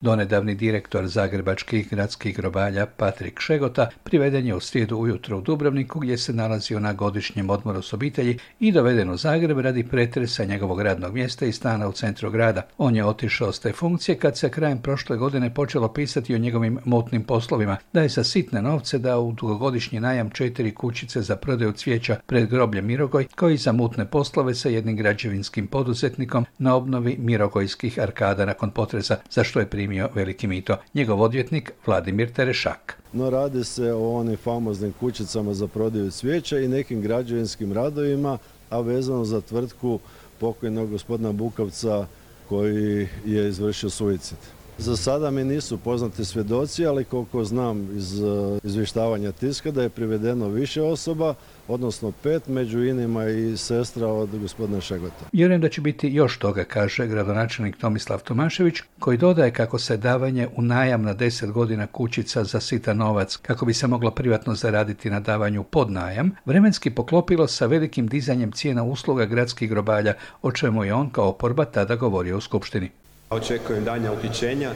Donedavni direktor zagrebačkih gradskih grobalja Patrik Šegota priveden je u srijedu ujutro u Dubrovniku gdje se nalazio na godišnjem odmoru s obitelji i doveden u Zagreb radi pretresa njegovog radnog mjesta i stana u centru grada. On je otišao s te funkcije kad se krajem prošle godine počelo pisati o njegovim mutnim poslovima, da je za sitne novce dao u dugogodišnji najam 4 kućice za prodaju cvijeća pred grobljem Mirogoj, kao i za mutne poslove sa jednim građevinskim poduzetnikom na obnovi mirogojskih arkada nakon potresa, za što je primio veliki mito. Njegov odvjetnik Vladimir Terešak. No, radi se o onim famoznim kućicama za prodaju cvijeća i nekim građevinskim radovima, a vezano za tvrtku pokojnog gospodina Bukavca koji je izvršio suicid. Za sada mi nisu poznati svjedoci, ali koliko znam iz izvještavanja tiska da je privedeno više osoba, odnosno 5, među inima i sestra od gospodina Šegota. Vjerujem da će biti još toga, kaže gradonačelnik Tomislav Tomašević, koji dodaje kako se davanje u najam na 10 godina kućica za sitan novac, kako bi se moglo privatno zaraditi na davanju pod najam, vremenski poklopilo sa velikim dizanjem cijena usluga gradskih grobalja, o čemu je on kao oporba tada govorio u skupštini. Očekujem daljnja uhićenja,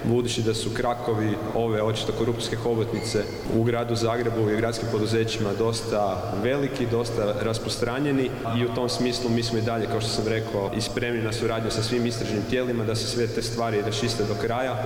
budući da su krakovi ove očito korupcijske hobotnice u gradu Zagrebu i gradskim poduzećima dosta veliki, dosta rasprostranjeni i u tom smislu mi smo i dalje, kao što sam rekao, i spremni na suradnju sa svim istražnim tijelima da se sve te stvari raščiste do kraja.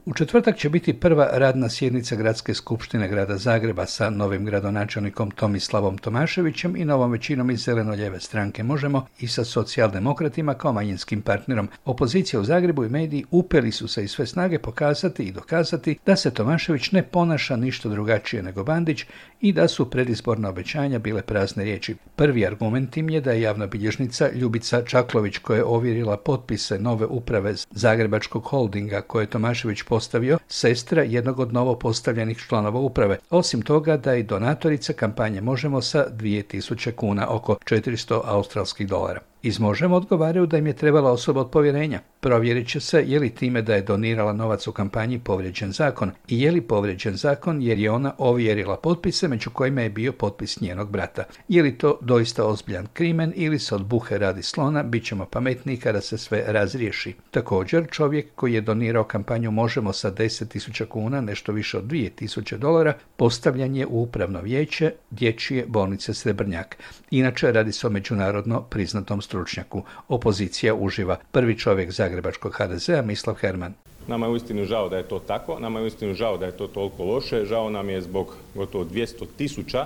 U četvrtak će biti prva radna sjednica Gradske skupštine grada Zagreba sa novim gradonačelnikom Tomislavom Tomaševićem i novom većinom iz zeleno-lijeve stranke Možemo i sa socijaldemokratima kao manjinskim partnerom. Opozicija u Zagrebu i mediji upeli su se iz sve snage pokazati i dokazati da se Tomašević ne ponaša ništa drugačije nego Bandić i da su predizborna obećanja bile prazne riječi. Prvi argument im je da je javna bilježnica Ljubica Čaklović, koja je ovjerila potpise nove uprave Zagrebačkog holdinga koje je Tomašević postavio, sestra jednog od novo postavljenih članova uprave. Osim toga da je donatorica kampanje Možemo sa 2000 kuna, oko 400 australskih dolara. Iz Možemo odgovaraju da im je trebala osoba od povjerenja. Provjerit će se je li time da je donirala novac u kampanji povrijeđen zakon i je li povrijeđen zakon jer je ona ovjerila potpise među kojima je bio potpis njenog brata. Je li to doista ozbiljan krimen ili se od buhe radi slona, bit ćemo pametniji kada se sve razriješi. Također, čovjek koji je donirao kampanju Možemo sa 10.000 kuna, nešto više od 2.000 dolara, postavljan je u upravno vijeće Dječje bolnice Srebrnjak. Inače, radi se o međunarodno priznatom stručnjaku. Opozicija uživa. Prvi čovjek zagrebačkog HDZ-a, Mislav Herman. Nama je uistinu žao da je to tako, nama je uistinu žao da je to toliko loše, žao nam je zbog gotovo 200.000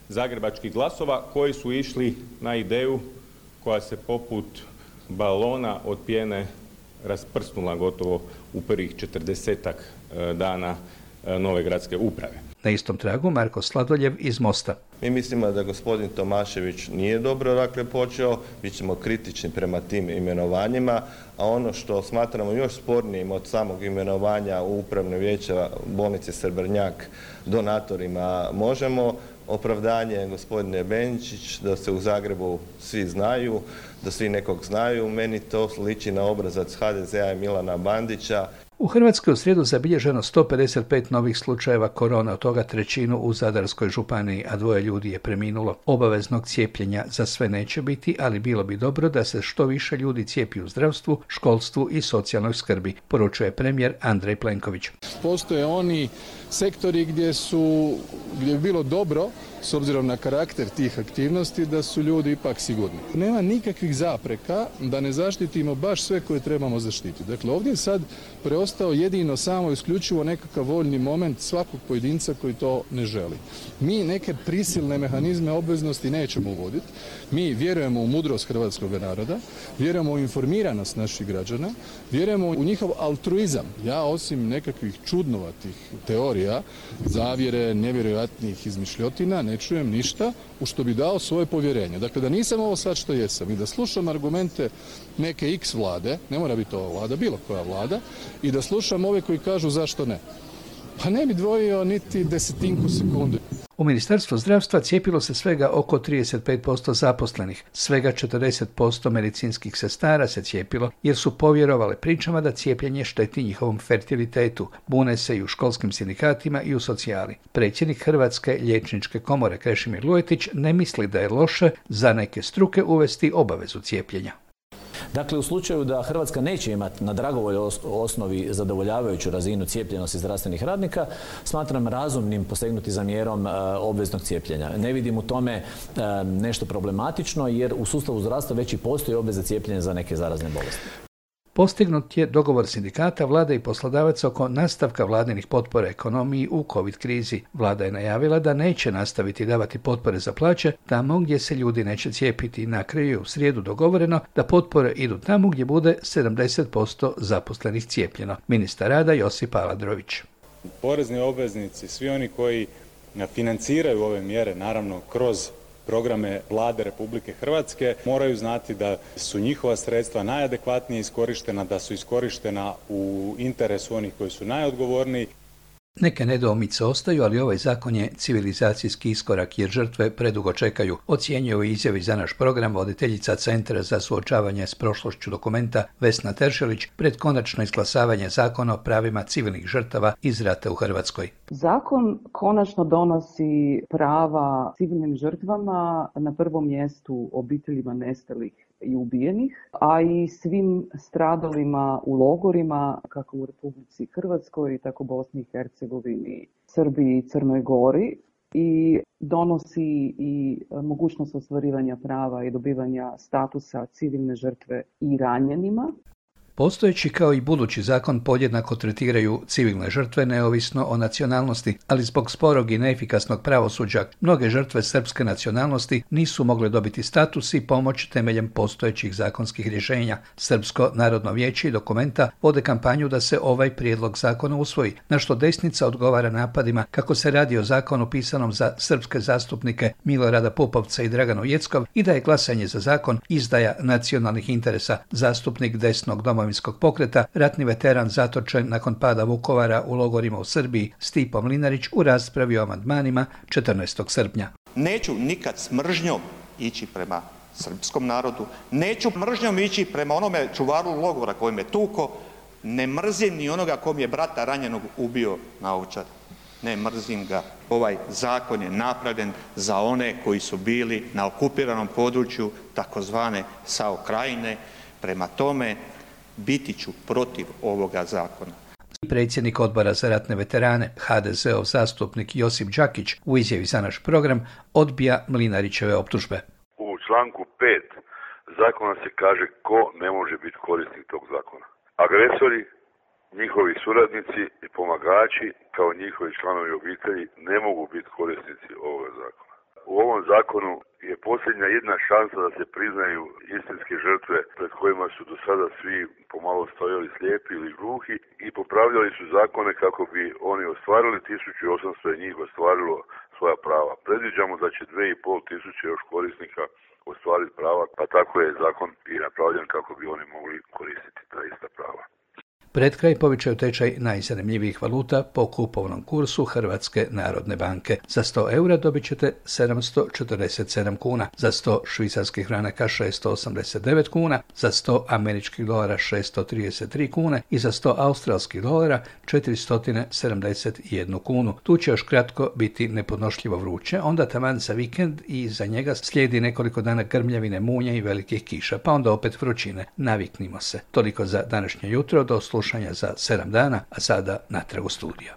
zagrebačkih glasova koji su išli na ideju koja se poput balona od pjene rasprsnula gotovo u prvih 40-ak dana nove gradske uprave. Na istom tragu Marko Sladoljev iz Mosta. Mi mislimo da gospodin Tomašević nije dobro počeo, bit ćemo kritični prema tim imenovanjima, a ono što smatramo još spornijim od samog imenovanja u upravno vijeće bolnice Srebrnjak donatorima Možemo, opravdanje gospodine Benčić da se u Zagrebu svi znaju, da svi nekog znaju, meni to liči na obrazac HDZ-a i Milana Bandića. U Hrvatskoj u srijedu zabilježeno 155 novih slučajeva korona, od toga 1/3 u Zadarskoj županiji, a 2 ljudi je preminulo. Obaveznog cijepljenja za sve neće biti, ali bilo bi dobro da se što više ljudi cijepi u zdravstvu, školstvu i socijalnoj skrbi, poručuje premijer Andrej Plenković. Postoje oni sektori gdje bi bilo dobro, s obzirom na karakter tih aktivnosti, da su ljudi ipak sigurni. Nema nikakvih zapreka da ne zaštitimo baš sve koje trebamo zaštititi. Dakle, ovdje je sad preostao jedino samo isključivo nekakav voljni moment svakog pojedinca koji to ne želi. Mi neke prisilne mehanizme obveznosti nećemo uvoditi. Mi vjerujemo u mudrost hrvatskog naroda, vjerujemo u informiranost naših građana, vjerujemo u njihov altruizam. Ja osim nekakvih čudnovatih teorija, zavjere, nevjerojatnih izmišljotina, ne čujem ništa u što bi dao svoje povjerenje. Dakle, da nisam ovo sad što jesam i da slušam argumente neke X vlade, ne mora biti ova vlada, bilo koja vlada, i da slušam ove koji kažu zašto ne. Pa ne bi dvojio niti desetinku sekunde. U Ministarstvu zdravstva cijepilo se svega oko 35% zaposlenih. Svega 40% medicinskih sestara se cijepilo jer su povjerovale pričama da cijepljenje šteti njihovom fertilitetu. Bune se i u školskim sindikatima i u socijali. Predsjednik Hrvatske liječničke komore Krešimir Lujetić ne misli da je loše za neke struke uvesti obavezu cijepljenja. Dakle, u slučaju da Hrvatska neće imati na dragovoljnoj osnovi zadovoljavajuću razinu cijepljenosti zdravstvenih radnika, smatram razumnim posegnuti za mjerom obveznog cijepljenja. Ne vidim u tome nešto problematično jer u sustavu zdravstva već i postoji obveza cijepljenja za neke zarazne bolesti. Postignut je dogovor sindikata, vlade i poslodavaca oko nastavka vladinih potpora ekonomiji u COVID krizi. Vlada je najavila da neće nastaviti davati potpore za plaće tamo gdje se ljudi neće cijepiti. Na kraju je u srijedu dogovoreno da potpore idu tamo gdje bude 70% zaposlenih cijepljeno. Ministar rada Josip Aladrović. Porezni obveznici, svi oni koji financiraju ove mjere, naravno kroz programe Vlade Republike Hrvatske, moraju znati da su njihova sredstva najadekvatnije iskorištena, da su iskorištena u interesu onih koji su najodgovorniji. Neke nedoumice ostaju, ali ovaj zakon je civilizacijski iskorak jer žrtve predugo čekaju, ocjenjuje u izjavi za naš program voditeljica Centra za suočavanje s prošlošću Dokumenta Vesna Teršelić pred konačno izglasavanje zakona o pravima civilnih žrtava iz rata u Hrvatskoj. Zakon konačno donosi prava civilnim žrtvama, na prvom mjestu obiteljima nestalih i ubijenih, a i svim stradalima u logorima, kako u Republici Hrvatskoj, tako u Bosni i Hercegovini, Srbiji i Crnoj Gori, i donosi i mogućnost ostvarivanja prava i dobivanja statusa civilne žrtve i ranjenima. Postojeći kao i budući zakon podjednako tretiraju civilne žrtve neovisno o nacionalnosti, ali zbog sporog i neefikasnog pravosuđa mnoge žrtve srpske nacionalnosti nisu mogle dobiti status i pomoć temeljem postojećih zakonskih rješenja. Srpsko narodno vijeće i Dokumenta vode kampanju da se ovaj prijedlog zakona usvoji, na što desnica odgovara napadima kako se radi o zakonu pisanom za srpske zastupnike Milorada Pupovca i Draganu Jeckov i da je glasanje za zakon izdaja nacionalnih interesa. Zastupnik desnog Domovinskog pokreta, ratni veteran zatočen nakon pada Vukovara u logorima u Srbiji, Stipo Mlinarić u raspravi o amandmanima 14. srpnja. Neću nikad s mržnjom ići prema srpskom narodu, neću mržnjom ići prema onome čuvaru logora koji me tuko, ne mrzim ni onoga ko mi je brata ranjenog ubio na Ovčari. Ne mrzim ga. Ovaj zakon je napravljen za one koji su bili na okupiranom području takozvane SAO krajine. Prema tome, biti ću protiv ovoga zakona. Predsjednik odbora za ratne veterane, HDZ-ov zastupnik Josip Đakić u izjavi za naš program odbija Mlinarićeve optužbe. U članku 5 zakona se kaže ko ne može biti korisnik tog zakona. Agresori, njihovi suradnici i pomagači kao njihovi članovi obitelji ne mogu biti korisnici ovoga zakona. U ovom zakonu je posljednja jedna šansa da se priznaju istinske žrtve pred kojima su do sada svi pomalo stojali slijepi ili gluhi i popravljali su zakone kako bi oni ostvarili 1800 je njih ostvarilo svoja prava. Predviđamo da će 2500 još korisnika ostvariti prava, pa tako je zakon i napravljen kako bi oni mogli koristiti ta ista prava. Pred kraj povećaju tečaj najzanimljivijih valuta po kupovnom kursu Hrvatske narodne banke. Za 100 eura dobit ćete 747 kuna, za 100 švicarskih franaka 689 kuna, za 100 američkih dolara 633 kune i za 100 australskih dolara 471 kunu. Tu će još kratko biti nepodnošljivo vruće, onda taman za vikend i za njega slijedi nekoliko dana grmljavine, munje i velikih kiša, pa onda opet vrućine. Naviknimo se. Toliko za današnje jutro, do slušanja za 7 dana, a sada natrag u studio.